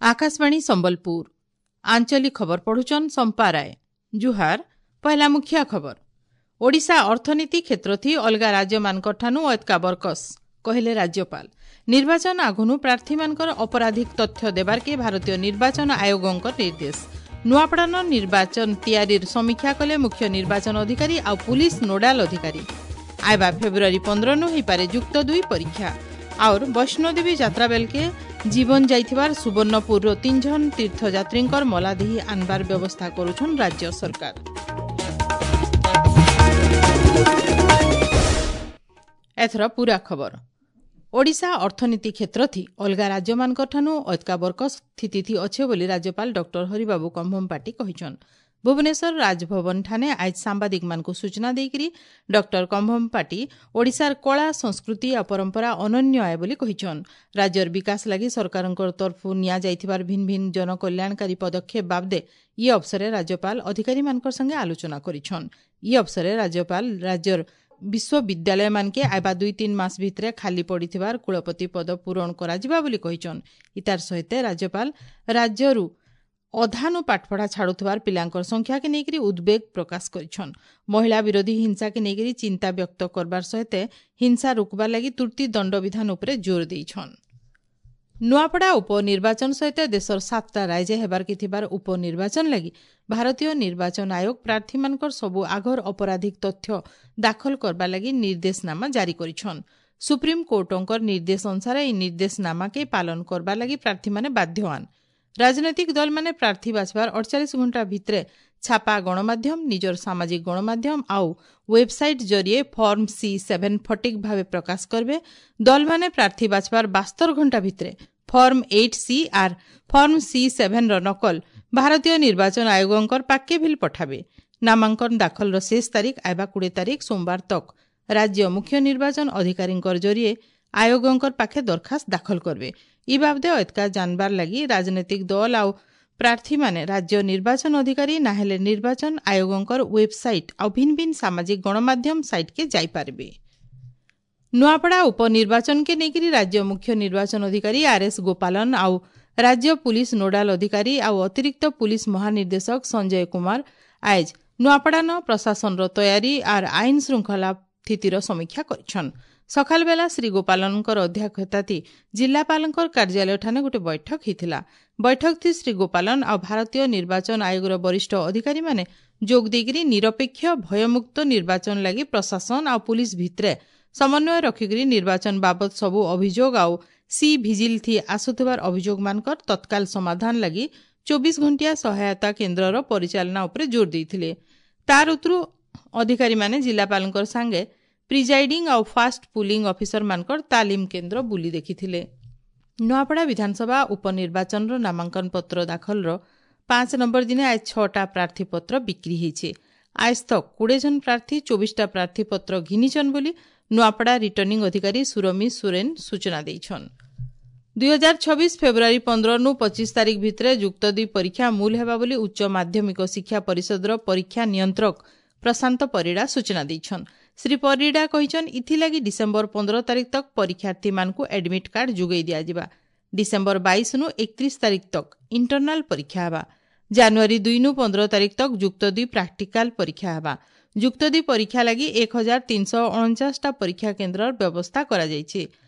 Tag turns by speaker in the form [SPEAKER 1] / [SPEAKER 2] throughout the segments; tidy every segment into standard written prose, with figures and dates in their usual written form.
[SPEAKER 1] ଆକାଶବାଣୀ ସମ୍ବଲପୁର ଆଞ୍ଚଳିକ ଖବର ପଢୁଛନ୍ ସମ୍ପା ରାୟ। ଜୁହାର। ପହିଲା ମୁଖିଆ ଖବର। ଓଡ଼ିଶା ଅର୍ଥନୀତି କ୍ଷେତ୍ରଥି ଅଲଗା ରାଜ୍ୟମାନଙ୍କଠାନୁ ଅଏତ୍କା ବରକସ୍ କହିଲେ ରାଜ୍ୟପାଳ। ନିର୍ବାଚନ ଆଘୁନୁ ପ୍ରାର୍ଥୀମାନଙ୍କର ଅପରାଧିକ ତଥ୍ୟ ଦେବାର୍କେ ଭାରତୀୟ ନିର୍ବାଚନ ଆୟୋଗଙ୍କ ନିର୍ଦ୍ଦେଶ। ନୂଆପଡ଼ାନ ନିର୍ବାଚନ ତିଆରିର ସମୀକ୍ଷା କଲେ ମୁଖ୍ୟ ନିର୍ବାଚନ ଅଧିକାରୀ ଆଉ ପୁଲିସ ନୋଡାଲ ଅଧିକାରୀ। ଆଇବା ଫେବୃଆରୀ 15ନୁ ହୋଇପାରେ ଯୁକ୍ତ 2 ପରୀକ୍ଷା। ଆଉର ବୈଷ୍ଣୋଦେବୀ ଯାତ୍ରା ବେଲକେ ଜୀବନ ଯାଇଥିବାର ସୁବର୍ଣ୍ଣପୁରର 3 ଜଣ ତୀର୍ଥଯାତ୍ରୀଙ୍କର ମଲାଦେହି ଆନବାର ବ୍ୟବସ୍ଥା କରୁଛନ୍ ରାଜ୍ୟ ସରକାର। ଏଥର ପୁରା ଖବର। ଓଡ଼ିଶା ଅର୍ଥନୀତି କ୍ଷେତ୍ରଥି ଅଲଗା ରାଜ୍ୟମାନଙ୍କଠାନୁ ଅଏତ୍କା ବରକସ୍ ସ୍ଥିତିଥି ଅଛେ ବୋଲି ରାଜ୍ୟପାଳ ଡକ୍ଟର ହରିବାବୁ କମ୍ଭମପାଟି କହିଛନ୍। ଭୁବନେଶ୍ୱର ରାଜଭବନଠାନେ ଆଜ ସାମ୍ବାଦିକମାନଙ୍କୁ ସୂଚନା ଦେଇକରି ଡକ୍ଟର କମ୍ଭମପାଟି ଓଡ଼ିଶାର କଳା, ସଂସ୍କୃତି ଆଉ ପରମ୍ପରା ଅନନ୍ୟ ଆଏ ବୋଲି କହିଛନ୍। ରାଜ୍ୟର ବିକାଶ ଲାଗି ସରକାରଙ୍କ ତରଫରୁ ନିଆଯାଇଥିବାର ଭିନ୍ନ ଭିନ୍ନ ଜନକଲ୍ୟାଣକାରୀ ପଦକ୍ଷେପ ବାବଦେ ଇ ଅବସରରେ ରାଜ୍ୟପାଳ ଅଧିକାରୀମାନଙ୍କ ସଙ୍ଗେ ଆଲୋଚନା କରିଛନ୍। ଇ ଅବସରରେ ରାଜ୍ୟପାଳ ରାଜ୍ୟର ବିଶ୍ୱବିଦ୍ୟାଳୟମାନକେ ଆଇବା 2-3 ମାସ ଭିତରେ ଖାଲି ପଡ଼ିଥିବାର କୁଳପତି ପଦ ପୂରଣ କରାଯିବା ବୋଲି କହିଛନ୍। ଇତାର ସହିତ ରାଜ୍ୟପାଳ ରାଜ୍ୟରୁ ଅଧାନୁ ପାଠପଢ଼ା ଛାଡୁଥିବାର ପିଲାଙ୍କର ସଂଖ୍ୟାକେ ନେଇକରି ଉଦ୍ବେଗ ପ୍ରକାଶ କରିଛନ୍। ମହିଳା ବିରୋଧୀ ହିଂସାକେ ନେଇକରି ଚିନ୍ତା ବ୍ୟକ୍ତ କରବାର ସହିତ ହିଂସା ରୋକବାର ଲାଗି ତୁର୍ତ୍ତି ଦଣ୍ଡବିଧାନ ଉପରେ ଜୋର ଦେଇଛନ୍। ନୂଆପଡ଼ା ଉପନିର୍ବାଚନ ସହିତ ଦେଶର 7ଟା ରାଜ୍ୟ ହେବାର୍କେ ଥିବାର ଉପନିର୍ବାଚନ ଲାଗି ଭାରତୀୟ ନିର୍ବାଚନ ଆୟୋଗ ପ୍ରାର୍ଥୀମାନଙ୍କର ସବୁ ଆଘର ଅପରାଧିକ ତଥ୍ୟ ଦାଖଲ କରବା ଲାଗି ନିର୍ଦ୍ଦେଶନାମା ଜାରି କରିଛନ୍। ସୁପ୍ରିମକୋର୍ଟଙ୍କର ନିର୍ଦ୍ଦେଶ ଅନୁସାରେ ଏହି ନିର୍ଦ୍ଦେଶନାମାକେ ପାଳନ କରବା ଲାଗି ପ୍ରାର୍ଥୀମାନେ ବାଧ୍ୟଆନ୍। ରାଜନୈତିକ ଦଳମାନେ ପ୍ରାର୍ଥୀ ବାଛବାର 48 ଘଣ୍ଟା ଭିତରେ ଛାପା ଗଣମାଧ୍ୟମ, ନିଜର ସାମାଜିକ ଗଣମାଧ୍ୟମ ଆଉ ୱେବସାଇଟ୍ ଜରିଏ ଫର୍ମ C7 ଫଟିକ୍ ଭାବେ ପ୍ରକାଶ କରିବେ। ଦଳମାନେ ପ୍ରାର୍ଥୀ ବାଛବାର 72 ଘଣ୍ଟା ଭିତରେ ଫର୍ମ 8C ଆର୍ ଫର୍ମ C7ର ନକଲ ଭାରତୀୟ ନିର୍ବାଚନ ଆୟୋଗଙ୍କର ପାକ୍କେ ଭିଲ୍ ପଠାବେ। ନାମାଙ୍କନ ଦାଖଲର ଶେଷ ତାରିଖ ଆଇବା 20 ତାରିଖ ସୋମବାର ତକ୍ ରାଜ୍ୟ ମୁଖ୍ୟ ନିର୍ବାଚନ ଅଧିକାରୀଙ୍କର ଜରିଏ ଆୟୋଗଙ୍କର ପାଖେ ଦରଖାସ୍ତ ଦାଖଲ କରିବେ। ଇ ବାବଦେ ଅଏତ୍କା ଜାନବାର ଲାଗି ରାଜନୈତିକ ଦଳ ଆଉ ପ୍ରାର୍ଥୀମାନେ ରାଜ୍ୟ ନିର୍ବାଚନ ଅଧିକାରୀ ନାହେଲେ ନିର୍ବାଚନ ଆୟୋଗଙ୍କର ୱେବସାଇଟ୍ ଆଉ ଭିନ୍ନ ଭିନ୍ନ ସାମାଜିକ ଗଣମାଧ୍ୟମ ସାଇଟ୍କେ ଯାଇପାରିବେ। ନୂଆପଡ଼ା ଉପନିର୍ବାଚନକେ ନେଇକରି ରାଜ୍ୟ ମୁଖ୍ୟ ନିର୍ବାଚନ ଅଧିକାରୀ ଆର୍ ଏସ୍ ଗୋପାଲନ ଆଉ ରାଜ୍ୟ ପୁଲିସ ନୋଡାଲ ଅଧିକାରୀ ଆଉ ଅତିରିକ୍ତ ପୁଲିସ ମହାନିର୍ଦ୍ଦେଶକ ସଞ୍ଜୟ କୁମାର ଆଏଜ ନୂଆପଡ଼ାନ ପ୍ରଶାସନର ତୟାରୀ ଆର୍ ଆଇନ ଶୃଙ୍ଖଳା ସ୍ଥିତିର ସମୀକ୍ଷା କରିଛନ୍। ସକାଳବେଲା ଶ୍ରୀ ଗୋପାଲନଙ୍କର ଅଧ୍ୟକ୍ଷତାଥି ଜିଲ୍ଲାପାଳଙ୍କର କାର୍ଯ୍ୟାଳୟଠାନେ ଗୋଟେ ବୈଠକ ହେଇଥିଲା। ବୈଠକଥି ଶ୍ରୀ ଗୋପାଲନ ଆଉ ଭାରତୀୟ ନିର୍ବାଚନ ଆୟୋଗର ବରିଷ୍ଠ ଅଧିକାରୀମାନେ ଯୋଗ ଦେଇକରି ନିରପେକ୍ଷ ଭୟମୁକ୍ତ ନିର୍ବାଚନ ଲାଗି ପ୍ରଶାସନ ଆଉ ପୁଲିସ ଭିତରେ ସମନ୍ୱୟ ରଖିକରି ନିର୍ବାଚନ ବାବଦ ସବୁ ଅଭିଯୋଗ ଆଉ ସି ଭିଜିଲ୍ ଥି ଆସୁଥିବାର ଅଭିଯୋଗମାନଙ୍କର ତତ୍କାଳ ସମାଧାନ ଲାଗି 24 ଘଣ୍ଟିଆ ସହାୟତା କେନ୍ଦ୍ରର ପରିଚାଳନା ଉପରେ ଜୋର ଦେଇଥିଲେ। ତାର ଉତରୁ ଅଧିକାରୀମାନେ ଜିଲ୍ଲାପାଳଙ୍କର ସାଙ୍ଗେ ପ୍ରିଜାଇଡିଂ ଆଉ ଫାଷ୍ଟ ପୁଲିଂ ଅଫିସରମାନଙ୍କର ତାଲିମ କେନ୍ଦ୍ର ବୁଲି ଦେଖିଥିଲେ। ନୂଆପଡ଼ା ବିଧାନସଭା ଉପନିର୍ବାଚନର ନାମାଙ୍କନ ପତ୍ର ଦାଖଲର 5 ନମ୍ବର ଦିନେ ଆজ 6ଟା ପ୍ରାର୍ଥୀପତ୍ର ବିକ୍ରି ହେଇছে। ଆଜ ତକ୍ 20 ଜଣ ପ୍ରାର୍ଥୀ 24ଟା ପ୍ରାର୍ଥୀପତ୍ର ଘିନିଛନ୍ ବୋଲି ନୂଆପଡ଼ା ରିଟର୍ଣ୍ଣିଂ ଅଧିକାରୀ ସୁରମି ସୁରେନ ସୂଚନା ଦେଇଛନ୍। 2026 ଫେବୃଆରୀ 15ନୁ 25 ତାରିଖ ଭିତରେ ଯୁକ୍ତ 2 ପରୀକ୍ଷା ମୂଲ ହେବା ବୋଲି ଉଚ୍ଚ ମାଧ୍ୟମିକ ଶିକ୍ଷା ପରିଷଦର ପରୀକ୍ଷା ନିୟନ୍ତ୍ରକ ପ୍ରଶାନ୍ତ ପରିଡ଼ା ସୂଚନା ଦେଇଛନ୍। ଶ୍ରୀ ପରିଡ଼ା କହିଛନ୍, ଇଥିଲାଗି ଡିସେମ୍ବର 15 ତାରିଖ ତକ୍ ପରୀକ୍ଷାର୍ଥୀମାନଙ୍କୁ ଆଡମିଟ୍ କାର୍ଡ ଯୋଗାଇ ଦିଆଯିବା। ଡିସେମ୍ବର 22ନୁ 31 ତାରିଖ ତକ୍ ଇଣ୍ଟରନାଲ ପରୀକ୍ଷା ହେବା। ଜାନୁଆରୀ 2ନୁ 15 ତାରିଖ ତକ୍ ଯୁକ୍ତ 2 ପ୍ରାକ୍ଟିକାଲ ପରୀକ୍ଷା ହେବା। ଯୁକ୍ତ 2 ପରୀକ୍ଷା ଲାଗି 1349ଟା ପରୀକ୍ଷା କେନ୍ଦ୍ରର ବ୍ୟବସ୍ଥା କରାଯାଇଛି।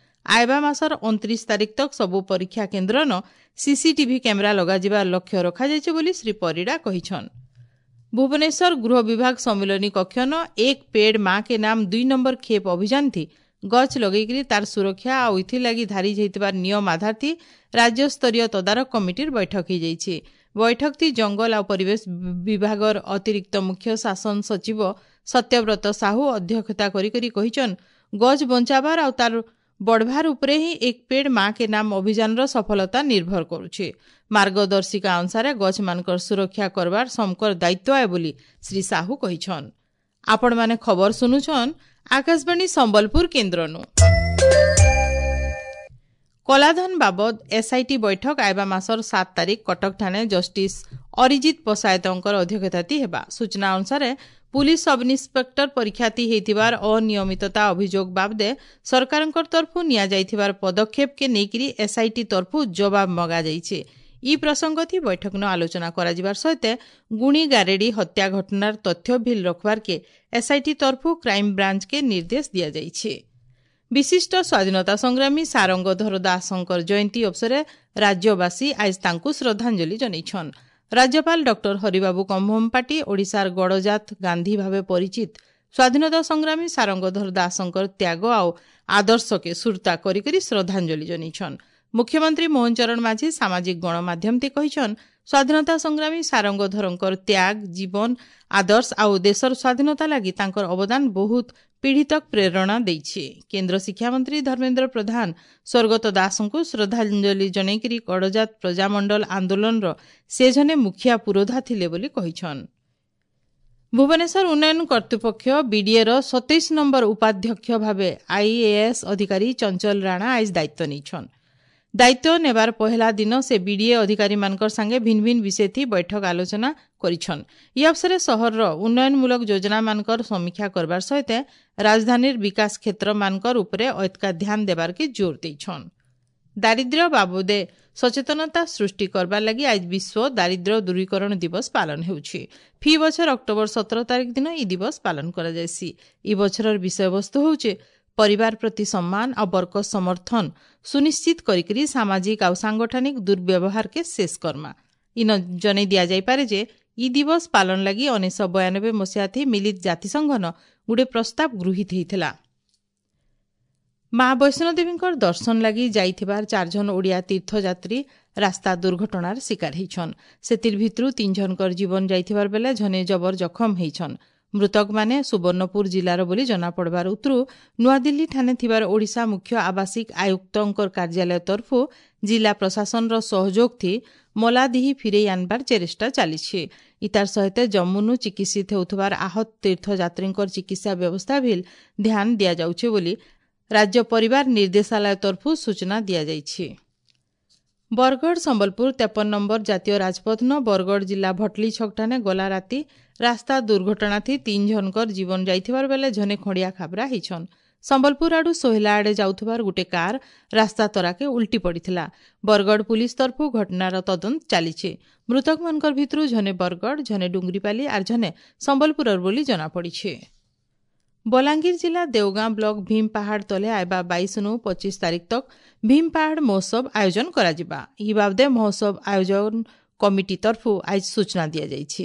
[SPEAKER 1] ଆଇବା ମାସର 29 ତାରିଖ ତକ୍ ସବୁ ପରୀକ୍ଷା କେନ୍ଦ୍ରନ ସିସିଟିଭି କ୍ୟାମେରା ଲଗାଯିବାର ଲକ୍ଷ୍ୟ ରଖାଯାଇଛି ବୋଲି ଶ୍ରୀ ପରିଡ଼ା କହିଛନ୍। ଭୁବନେଶ୍ୱର ଗୃହ ବିଭାଗ ସମ୍ମିଳନୀ କକ୍ଷନ ଏକ ପେଡ୍ ମା କେ ନାମ 2 ନମ୍ବର ଖେପ୍ ଅଭିଯାନ ଥି ଗଛ ଲଗେଇକରି ତାର ସୁରକ୍ଷା ଆଉ ଇଥିଲାଗି ଧାରି ଯାଇଥିବାର ନିୟମ ଆଧାର ଥି ରାଜ୍ୟସ୍ତରୀୟ ତଦାରଖ କମିଟିର ବୈଠକ ହେଇଯାଇଛି। ବୈଠକ ଥି ଜଙ୍ଗଲ ଆଉ ପରିବେଶ ବିଭାଗର ଅତିରିକ୍ତ ମୁଖ୍ୟ ଶାସନ ସଚିବ ସତ୍ୟବ୍ରତ ସାହୁ ଅଧ୍ୟକ୍ଷତା କରି କରି କହିଛନ୍, ଗଛ ବଞ୍ଚାବାର ଆଉ ତାର ବଢ଼ବାର ଉପରେ ହିଁ ଏକ ପେଡ୍ ମା କେ ନାମ ଅଭିଯାନର ସଫଳତା ନିର୍ଭର କରୁଛେ। ମାର୍ଗଦର୍ଶିକା ଅନୁସାରେ ଗଛମାନଙ୍କର ସୁରକ୍ଷା କରବାର ସମକର ଦାୟିତ୍ୱ ଆଏ ବୋଲି ଶ୍ରୀ ସାହୁ କହିଛନ୍। ଆପଣମାନେ ଖବର ଶୁଣୁଛନ୍ ଆକାଶବାଣୀ ସମ୍ବଲପୁର କେନ୍ଦ୍ରନୁ। କଳାଧନ ବାବଦ ଏସ୍ଆଇଟି ବୈଠକ ଆଇବା ମାସର 7 ତାରିଖ କଟକଠାରେ ଜଷ୍ଟିସ୍ ଅରିଜିତ ପଶାୟତଙ୍କର ଅଧ୍ୟକ୍ଷତାତି ହେବା। ସୂଚନା ଅନୁସାରେ ପୁଲିସ ସବ୍ ଇନ୍ସପେକ୍ଟର ପରୀକ୍ଷାଥି ହେଇଥିବାର ଅନିୟମିତତା ଅଭିଯୋଗ ବାବଦେ ସରକାରଙ୍କ ତରଫୁ ନିଆଯାଇଥିବାର ପଦକ୍ଷେପକେ ନେଇକରି ଏସ୍ଆଇଟି ତରଫୁ ଜବାବ ମଗାଯାଇଛି। ଇ ପ୍ରସଙ୍ଗଥି ବୈଠକନ ଆଲୋଚନା କରାଯିବାର ସହିତ ଗୁଣି ଗାରେଡ଼ି ହତ୍ୟା ଘଟଣାର ତଥ୍ୟ ଭିଲ୍ ରଖବାର୍କେ ଏସ୍ଆଇଟି ତରଫୁ କ୍ରାଇମବ୍ରାଞ୍ଚକେ ନିର୍ଦ୍ଦେଶ ଦିଆଯାଇଛି। ବିଶିଷ୍ଟ ସ୍ୱାଧୀନତା ସଂଗ୍ରାମୀ ସାରଙ୍ଗଧର ଦାସଙ୍କର ଜୟନ୍ତୀ ଅବସରରେ ରାଜ୍ୟବାସୀ ଆଜ ତାଙ୍କୁ ଶ୍ରଦ୍ଧାଞ୍ଜଳି ଜଣାଇଛନ୍। ରାଜ୍ୟପାଳ ଡକ୍ଟର ହରିବାବୁ କମ୍ଭମପାଟି ଓଡ଼ିଶାର ଗଡ଼ଜାତ ଗାନ୍ଧୀ ଭାବେ ପରିଚିତ ସ୍ୱାଧୀନତା ସଂଗ୍ରାମୀ ସାରଙ୍ଗଧର ଦାସଙ୍କର ତ୍ୟାଗ ଆଉ ଆଦର୍ଶକେ ସୁରତା କରିକରି ଶ୍ରଦ୍ଧାଞ୍ଜଳି ଜଣାଇଛନ୍। ମୁଖ୍ୟମନ୍ତ୍ରୀ ମୋହନ ଚରଣ ମାଝୀ ସାମାଜିକ ଗଣମାଧ୍ୟମତେ କହିଛନ୍, ସ୍ୱାଧୀନତା ସଂଗ୍ରାମୀ ସାରଙ୍ଗଧରଙ୍କର ତ୍ୟାଗ, ଜୀବନ, ଆଦର୍ଶ ଆଉ ଦେଶର ସ୍ୱାଧୀନତା ଲାଗି ତାଙ୍କର ଅବଦାନ ବହୁତ ପିଢ଼ି ତକ୍ ପ୍ରେରଣା ଦେଇଛି। କେନ୍ଦ୍ର ଶିକ୍ଷାମନ୍ତ୍ରୀ ଧର୍ମେନ୍ଦ୍ର ପ୍ରଧାନ ସ୍ୱର୍ଗତ ଦାସଙ୍କୁ ଶ୍ରଦ୍ଧାଞ୍ଜଳି ଜଣାଇକରି ଗଡ଼ଜାତ ପ୍ରଜାମଣ୍ଡଳ ଆନ୍ଦୋଳନର ସେ ଜଣେ ମୁଖିଆ ପୁରୋଧା ଥିଲେ ବୋଲି କହିଛନ୍। ଭୁବନେଶ୍ୱର ଉନ୍ନୟନ କର୍ତ୍ତୃପକ୍ଷ ବିଡିଏର 27 ନମ୍ବର ଉପାଧ୍ୟକ୍ଷ ଭାବେ ଆଇଏଏସ୍ ଅଧିକାରୀ ଚଞ୍ଚଲ ରାଣା ଆଜ ଦାୟିତ୍ୱ ନେଇଛନ୍। ଦାୟିତ୍ୱ ନେବାର ପହେଲା ଦିନ ସେ ବିଡିଏ ଅଧିକାରୀମାନଙ୍କର ସାଙ୍ଗେ ଭିନ୍ନ ଭିନ୍ନ ବିଷୟଥି ବୈଠକ ଆଲୋଚନା କରିଛନ୍। ଇ ଅବସରେ ସହରର ଉନ୍ନୟନମୂଳକ ଯୋଜନାମାନଙ୍କର ସମୀକ୍ଷା କରବାର ସହିତ ରାଜଧାନୀର ବିକାଶ କ୍ଷେତ୍ରମାନଙ୍କର ଉପରେ ଅଏତକା ଧ୍ୟାନ ଦେବାର୍କେ ଜୋର ଦେଇଛନ୍। ଦାରିଦ୍ର୍ୟ ବାବଦେ ସଚେତନତା ସୃଷ୍ଟି କରବାର ଲାଗି ଆଜ ବିଶ୍ୱ ଦାରିଦ୍ର୍ୟ ଦୂରୀକରଣ ଦିବସ ପାଳନ ହେଉଛି। ଫି ବଛର ଅକ୍ଟୋବର 17 ତାରିଖ ଦିନ ଇ ଦିବସ ପାଳନ କରାଯାଏସି। ଇ ବଛରର ବିଷୟବସ୍ତୁ ହେଉଛି ପରିବାର ପ୍ରତି ସମ୍ମାନ ଆଉ ବର୍ଗ ସମର୍ଥନ ସୁନିଶ୍ଚିତ କରିକରି ସାମାଜିକ ଆଉ ସାଂଗଠନିକ ଦୁର୍ବ୍ୟବହାରକେ ଶେଷ କର୍ମା। ଇନ ଜଣେଇ ଦିଆଯାଇପାରେ ଯେ ଇ ଦିବସ ପାଳନ ଲାଗି 1992 ମସିହାଥି ମିଳିତ ଜାତିସଂଘନ ଗୁଟେ ପ୍ରସ୍ତାବ ଗୃହୀତ ହେଇଥିଲା। ମା ବୈଷ୍ଣୋଦେବୀଙ୍କର ଦର୍ଶନ ଲାଗି ଯାଇଥିବାର 4 ଜଣ ଓଡ଼ିଆ ତୀର୍ଥଯାତ୍ରୀ ରାସ୍ତା ଦୁର୍ଘଟଣାର ଶିକାର ହେଇଛନ୍। ସେଥିର୍ ଭିତରୁ 3 ଜଣଙ୍କର ଜୀବନ ଯାଇଥିବାର ବେଲେ ଝନେ ଜବର ଜଖମ ହେଇଛନ୍। ମୃତକମାନେ ସୁବର୍ଣ୍ଣପୁର ଜିଲ୍ଲାର ବୋଲି ଜଣାପଡ଼ବାର ଉତରୁ ନୂଆଦିଲ୍ଲୀ ଠାନେ ଥିବାର ଓଡ଼ିଶା ମୁଖ୍ୟ ଆବାସିକ ଆୟୁକ୍ତଙ୍କର କାର୍ଯ୍ୟାଳୟ ତରଫୁ ଜିଲ୍ଲା ପ୍ରଶାସନର ସହଯୋଗ ଥି ମଲାଦିହି ଫିରେଇ ଆନବାର ଚେଷ୍ଟା ଚାଲିଛି। ଇତାର ସହିତ ଜମ୍ମୁନୁ ଚିକିତ୍ସିତ ହେଉଥିବାର ଆହତ ତୀର୍ଥଯାତ୍ରୀଙ୍କର ଚିକିତ୍ସା ବ୍ୟବସ୍ଥା ଭିଲ୍ ଧ୍ୟାନ ଦିଆଯାଉଛି ବୋଲି ରାଜ୍ୟ ପରିବାର ନିର୍ଦ୍ଦେଶାଳୟ ତରଫୁ ସୂଚନା ଦିଆଯାଇଛି। ବରଗଡ଼ ସମ୍ବଲପୁର 53 ନମ୍ବର ଜାତୀୟ ରାଜପଥନ ବରଗଡ଼ ଜିଲ୍ଲା ଭଟଲି ଛକଠାନେ ଗଲା ରାତି ରାସ୍ତା ଦୁର୍ଘଟଣାଥି 3 ଜଣଙ୍କର ଜୀବନ ଯାଇଥିବାର ବେଲେ ଝନେ ଖଣ୍ଡିଆ ଖାବରା ହେଇଛନ୍। ସମ୍ବଲପୁର ଆଡୁ ସୋହେଲା ଆଡ଼େ ଯାଉଥିବାର ଗୋଟେ କାର ରାସ୍ତା ତରାକେ ଉଲ୍ଟି ପଡ଼ିଥିଲା। ବରଗଡ଼ ପୁଲିସ ତରଫୁ ଘଟଣାର ତଦନ୍ତ ଚାଲିଛି। ମୃତକମାନଙ୍କର ଭିତରୁ ଝନେ ବରଗଡ଼, ଝନେ ଡୁଙ୍ଗରିପାଲି ଆର୍ ଝନେ ସମ୍ବଲପୁରର ବୋଲି ଜଣାପଡ଼ିଛି। ବଲାଙ୍ଗୀର ଜିଲ୍ଲା ଦେଓଗାଁ ବ୍ଲକ ଭୀମ ପାହାଡ଼ ତଲେ ଆଇବା 22 25 ତାରିଖ ତକ୍ ଭୀମ ପାହାଡ଼ ମହୋତ୍ସବ ଆୟୋଜନ କରାଯିବା। ଇ ବାବଦେ ମହୋତ୍ସବ ଆୟୋଜନ କମିଟି ତରଫୁ ଆଜ ସୂଚନା ଦିଆଯାଇଛି।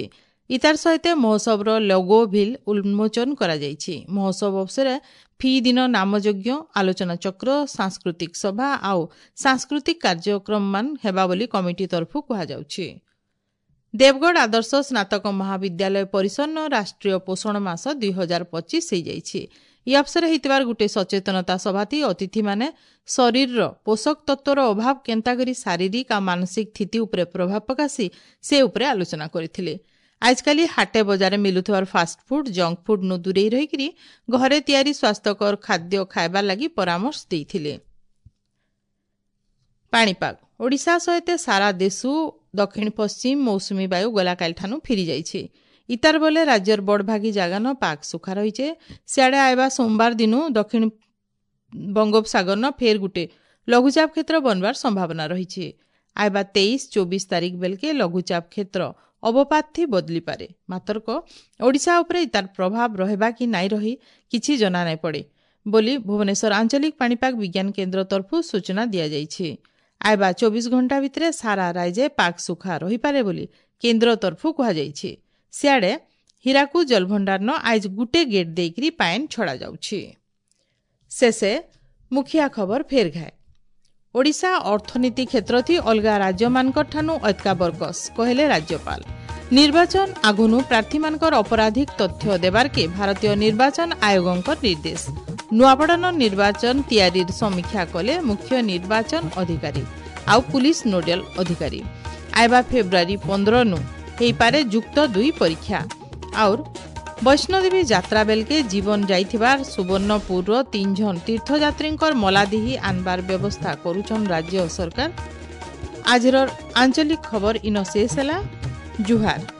[SPEAKER 1] ଇତାର ସହିତ ମହୋତ୍ସବର ଲୋଗୋ ଭିଲ୍ ଉନ୍ମୋଚନ କରାଯାଇଛି। ମହୋତ୍ସବ ଅବସରରେ ଫି ଦିନ ନାମଯଜ୍ଞ, ଆଲୋଚନା ଚକ୍ର, ସାଂସ୍କୃତିକ ସଭା ଆଉ ସାଂସ୍କୃତିକ କାର୍ଯ୍ୟକ୍ରମମାନ ହେବା ବୋଲି କମିଟି ତରଫୁ କୁହାଯାଉଛି। ଦେବଗଡ଼ ଆଦର୍ଶ ସ୍ନାତକ ମହାବିଦ୍ୟାଳୟ ପରିସରନ ରାଷ୍ଟ୍ରୀୟ ପୋଷଣ ମାସ 2025 ହେଇଯାଇଛି। ଇ ଅବସରରେ ହେଇଥିବାର ଗୋଟେ ସଚେତନତା ସଭାତି ଅତିଥିମାନେ ଶରୀରର ପୋଷକ ତତ୍ତ୍ୱର ଅଭାବ କେନ୍ତା କରି ଶାରୀରିକ ଆଉ ମାନସିକ ସ୍ଥିତି ଉପରେ ପ୍ରଭାବ ପକାସି ସେ ଉପରେ ଆଲୋଚନା କରିଥିଲେ। ଆଜକାଲି ହାଟେ ବଜାରରେ ମିଲୁଥିବାର ଫାଷ୍ଟଫୁଡ୍, ଜଙ୍କ ଫୁଡ୍ ନୁ ଦୂରେଇ ରହିକରି ଘରେ ତିଆରି ସ୍ୱାସ୍ଥ୍ୟକର ଖାଦ୍ୟ ଖାଇବାର ଲାଗି ପରାମର୍ଶ ଦେଇଥିଲେ। ପାଣିପାଗ ଓଡ଼ିଶା ସହିତ ସାରା ଦେଶୁ ଦକ୍ଷିଣ ପଶ୍ଚିମ ମୌସୁମୀ ବାୟୁ ଗଲାକାଲିଠାନୁ ଫିରି ଯାଇଛି। ଇତାର ବଲେ ରାଜ୍ୟର ବଡ଼ଭାଗୀ ଜାଗାନ ପାଗ ସୁଖା ରହିଛେ। ସିଆଡ଼େ ଆଇବା ସୋମବାର ଦିନୁ ଦକ୍ଷିଣ ବଙ୍ଗୋପସାଗରନ ଫେର୍ ଗୁଟେ ଲଘୁଚାପ କ୍ଷେତ୍ର ବନବାର ସମ୍ଭାବନା ରହିଛି। ଆଇବା 23-24 ତାରିଖ ବେଲକେ ଲଘୁଚାପ କ୍ଷେତ୍ର ଅବପାତ ଥି ବଦଳିପାରେ। ମାତରକ ଓଡ଼ିଶା ଉପରେ ତାର ପ୍ରଭାବ ରହିବା କି ନାଇଁ ରହି କିଛି ଜଣା ନାଇଁ ପଡ଼େ ବୋଲି ଭୁବନେଶ୍ୱର ଆଞ୍ଚଳିକ ପାଣିପାଗ ବିଜ୍ଞାନ କେନ୍ଦ୍ର ତରଫରୁ ସୂଚନା ଦିଆଯାଇଛି। ଆଇବା 24 ଘଣ୍ଟା ଭିତରେ ସାରା ରାଜ୍ୟ ପାଗ ସୁଖା ରହିପାରେ ବୋଲି କେନ୍ଦ୍ର ତରଫରୁ କୁହାଯାଇଛି। ସିଆଡ଼େ ହୀରାକୁଦ ଜଳଭଣ୍ଡାରନ ଆଇଜ ଗୁଟେ ଗେଟ୍ ଦେଇକରି ପାଏନ୍ ଛଡ଼ାଯାଉଛି। ଶେଷେ ମୁଖିଆ ଖବର ଫେର ଘାଏ। ଓଡ଼ିଶା ଅର୍ଥନୀତି କ୍ଷେତ୍ରଥି ଅଲଗା ରାଜ୍ୟମାନଙ୍କଠାନୁ ଅତ୍କା ବରକସ୍ କହିଲେ ରାଜ୍ୟପାଳ। ନିର୍ବାଚନ ଆଗୁନୁ ପ୍ରାର୍ଥୀମାନଙ୍କର ଅପରାଧିକ ତଥ୍ୟ ଦେବାର୍କେ ଭାରତୀୟ ନିର୍ବାଚନ ଆୟୋଗଙ୍କ ନିର୍ଦ୍ଦେଶ। ନୂଆପଡ଼ାନ ନିର୍ବାଚନ ତିଆରିର ସମୀକ୍ଷା କଲେ ମୁଖ୍ୟ ନିର୍ବାଚନ ଅଧିକାରୀ ଆଉ ପୁଲିସ ନୋଡାଲ ଅଧିକାରୀ। ଆଇବା ଫେବୃଆରୀ 15ନୁ ହେଇପାରେ ଯୁକ୍ତ 2 ପରୀକ୍ଷା। ଆଉର୍ ବୈଷ୍ଣୋଦେବୀ ଯାତ୍ରା ବେଲକେ ଜୀବନ ଯାଇଥିବାର ସୁବର୍ଣ୍ଣପୁରର 3 ଜଣ ତୀର୍ଥଯାତ୍ରୀଙ୍କର ମଲାଦିହି ଆନବାର ବ୍ୟବସ୍ଥା କରୁଛନ୍ ରାଜ୍ୟ ସରକାର। ଆଜିର ଆଞ୍ଚଳିକ ଖବର ଇନ ଶେଷ ହେଲା। ଜୁହାର।